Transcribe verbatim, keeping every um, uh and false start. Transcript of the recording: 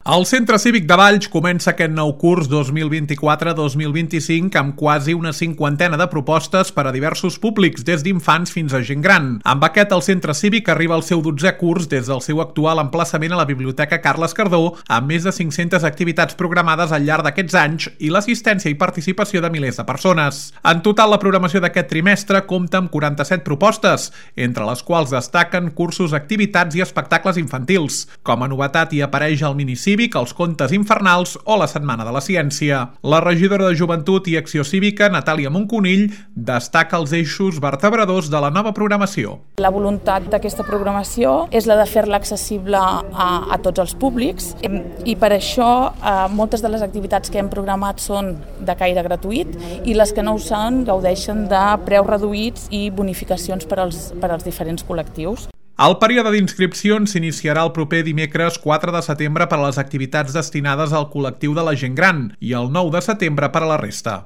El Centre Cívic de Valls comença aquest nou curs dos mil vint-i-quatre dos mil vint-i-cinc amb quasi una cinquantena de propostes per a diversos públics, des d'infants fins a gent gran. Amb aquest, el Centre Cívic arriba al seu dotzè curs des del seu actual emplaçament a la Biblioteca Carles Cardó, amb més de cinc-centes activitats programades al llarg d'aquests anys i l'assistència i participació de milers de persones. En total, la programació d'aquest trimestre compta amb quaranta-set propostes, entre les quals destaquen cursos, activitats i espectacles infantils. Com a novetat hi apareix el minicívic, els contes infernals o la Setmana de la Ciència. La regidora de Joventut i Acció Cívica, Natàlia Monconill, destaca els eixos vertebradors de la nova programació. La voluntat d'aquesta programació és la de fer-la accessible a, a tots els públics i per això eh, moltes de les activitats que hem programat són de caire gratuït i les que no ho són gaudeixen de preus reduïts i bonificacions per als, per als diferents col·lectius. El període d'inscripcions s'iniciarà el proper dimecres quatre de setembre per a les activitats destinades al col·lectiu de la gent gran i el nou de setembre per a la resta.